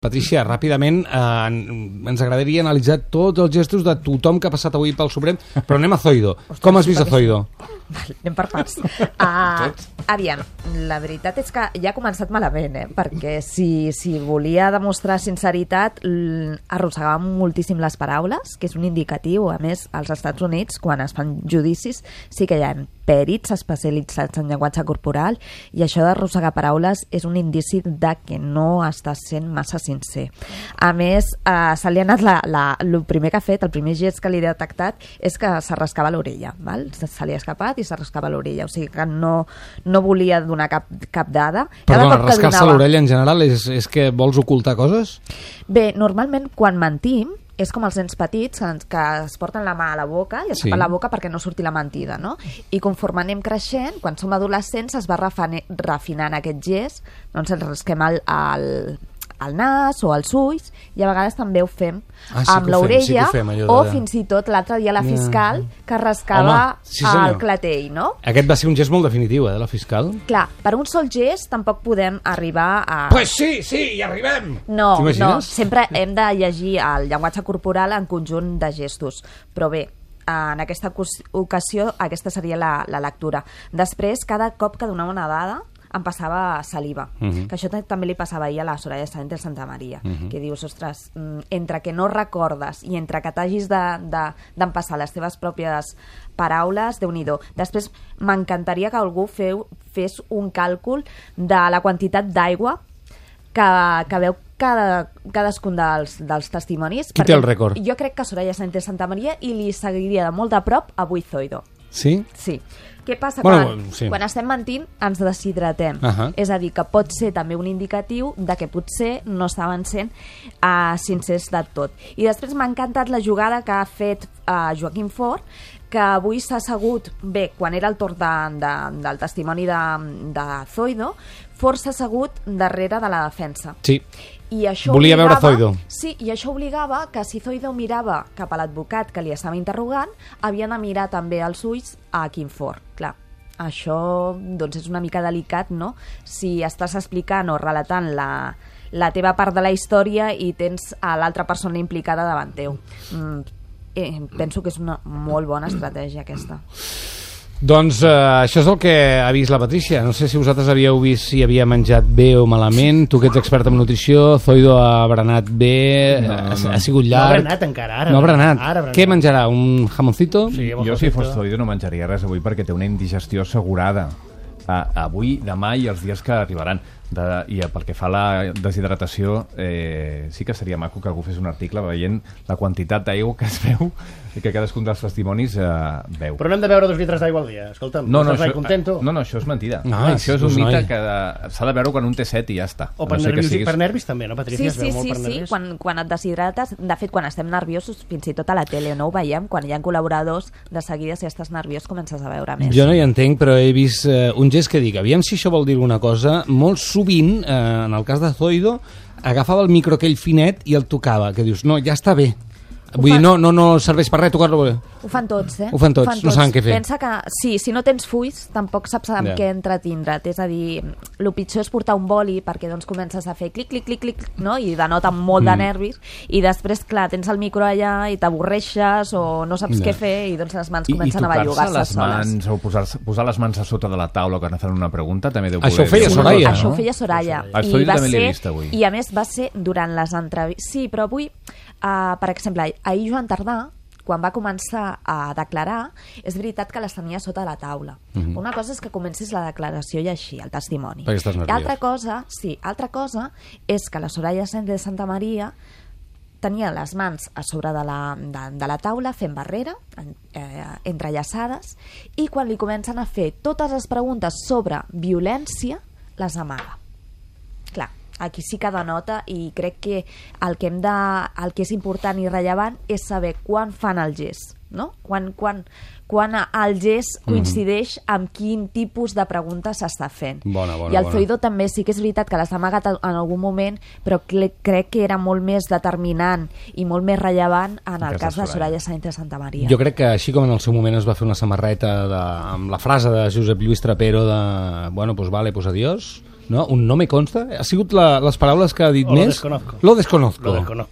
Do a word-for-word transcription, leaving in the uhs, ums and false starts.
Patrícia, ràpidament, eh, ens agradaria analitzar tots els gestos de tothom que ha passat avui pel Suprem, però anem a Zoido. Ostres, com has vist a Zoido? Vale, anem per parts. Uh, aviam, la veritat és que ja ha començat malament, eh? Perquè si, si volia demostrar sinceritat, arrossegava moltíssim les paraules, que és un indicatiu. A més, als Estats Units, quan es fan judicis, sí que hi ha pèrits especialitzats en llenguatge corporal, i això d'arrossegar paraules és un indici de que no està sent massa sincer. A més, eh, se li ha anat la, la, el primer que ha fet, el primer gest que li he detectat és que s'arrascava l'orella, val? Se li ha escapat i s'arrascava l'orella, o sigui que no, no volia donar cap, cap dada. Perdona, rascar-se donava... l'orella en general és, és que vols ocultar coses? Bé, normalment quan mentim és com els nens petits que es porten la mà a la boca i es tapen sí. la boca perquè no surti la mentida, no? I conforme anem creixent, quan som adolescents, es va refinant aquest gest, doncs ens rasquem el, el, el nas o els ulls, i a vegades també ho fem ah, sí amb l'orella, sí de... o fins i tot l'altre dia la fiscal que rascava Home, sí, el clatell, no? Aquest va ser un gest molt definitiu, eh, de la fiscal. Clar, per un sol gest tampoc podem arribar a... Pues sí, sí, hi arribem! No, no, sempre hem de llegir el llenguatge corporal en conjunt de gestos, però bé, en aquesta ocasió aquesta seria la, la lectura. Després, cada cop que donava una dada em passava saliva, uh -huh. que això també li passava ahir a la Soraya Sáenz de Santamaría, uh -huh. que dius, ostres, entre que no recordes i entre que t'hagis d'empassar de, de, les teves pròpies paraules, Déu-n'hi-do. Després m'encantaria que algú feu, fes un càlcul de la quantitat d'aigua que, que veu cada, cadascun dels, dels testimonis. Qui té el rècord? Jo crec que Soraya Sáenz de Santamaría, i li seguiria de molt de prop avui Zoido. Sí? Sí. Què passa? Bueno, quan, sí. quan estem mentint ens deshidratem. Uh -huh. És a dir, que pot ser també un indicatiu de que potser no estaven sent uh, sincers de tot. I després m'ha encantat la jugada que ha fet uh, Joaquim Forn, que avui s'ha assegut, bé, quan era el torn de, de, del testimoni de, de Zoido, Forn s'ha assegut darrere de la defensa. Sí. I això volia obligava, veure Zoido. Sí, i això obligava que si Zoido mirava cap a l'advocat que li estava interrogant, havia de mirar també els ulls a Quim Forn. Clar, això doncs és una mica delicat, no? Si estàs explicant o relatant la, la teva part de la història i tens a l'altra persona implicada davant teu. Mm, eh, penso que és una molt bona estratègia aquesta. Doncs eh, això és el que ha vist la Patrícia. No sé si vosaltres havíeu vist si havia menjat bé o malament. Tu que ets expert en nutrició, Zoido ha berenat bé, no, ha, no. ha sigut llarg. No ha berenat encara, ara. No ha berenat. Ara berenat. Què menjarà? Un jamoncito? Sí, jo si fos Zoido no menjaria res avui perquè té una indigestió assegurada. Uh, avui, demà i els dies que arribaran. De, i pel que fa a la deshidratació, eh, sí que seria maco que algú fes un article veient la quantitat d'aigua que es veu i que cadascun dels testimonis eh, veu. Però no hem de beure dos litres d'aigua al dia, escolta'm. No, no, això, això, no, no, això és mentida. No, això és un mite que s'ha de veure quan un té set i ja està. O per, no nervis, siguis... per nervis també, no, Patrícia? Sí, sí, sí, sí, sí. Quan, quan et deshidrates, de fet, quan estem nerviosos, fins i tot a la tele, no ho veiem, quan hi ha col·laboradors, de seguida, si estàs nerviós, comences a veure més. Jo no hi entenc, però he vist eh, un gest que dic, aviam si això vol dir alguna cosa, molt sovint, eh, en el cas de Zoido, agafava el micro aquell finet i el tocava, que dius, no, ja està bé. Vull dir, no, no, no serveix per res tocar-lo. Ho fan tots, eh? Ho fan tots, ho fan tots. No saben què fer. Pensa que, sí, si no tens fulls, tampoc saps amb yeah. què entretindre't. És a dir, el pitjor és portar un boli perquè doncs comences a fer clic, clic, clic, clic, no? I denota molt mm. de nervis, i després, clar, tens el micro allà i t'avorreixes o no saps yeah. què fer i doncs les mans I, comencen i a bellugar-se les soles. Mans, o posar, posar les mans a sota de la taula quan fan una pregunta també deu això poder... Ho feia Soraya, no? Això no? ho feia Soraya. El Zoido també l'he vist avui. I a més va ser durant les entrevistes. Sí, però avui, uh, per exemple, ahir Joan Tardà, quan va començar a declarar, és veritat que les tenia sota la taula. Uh-huh. Una cosa és que comencis la declaració i així, el testimoni. Perquè estàs nerviós. Altra cosa, sí, altra cosa és que la Soraya Sáenz de Santamaría tenia les mans a sobre de la, de, de la taula fent barrera, eh, entrellaçades, i quan li comencen a fer totes les preguntes sobre violència, les amaga. Clar, aquí sí que denota, i crec que el que, hem de, el que és important i rellevant és saber quan fan el gest, no? Quan, quan, quan el gest coincideix mm-hmm. amb quin tipus de pregunta s'està fent. Bona, bona, I el bona. Zoido també sí que és veritat que l'has amagat en algun moment, però crec que era molt més determinant i molt més rellevant en el cas de Soraya Sáenz de Santamaría. Jo crec que així com en el seu moment es va fer una samarreta de, amb la frase de Josep Lluís Trapero de, bueno, pues vale, pues adiós, No? Un no me consta. Ha sigut la, les paraules que ha dit o més. Lo desconozco. Lo desconozco. Lo desconozco.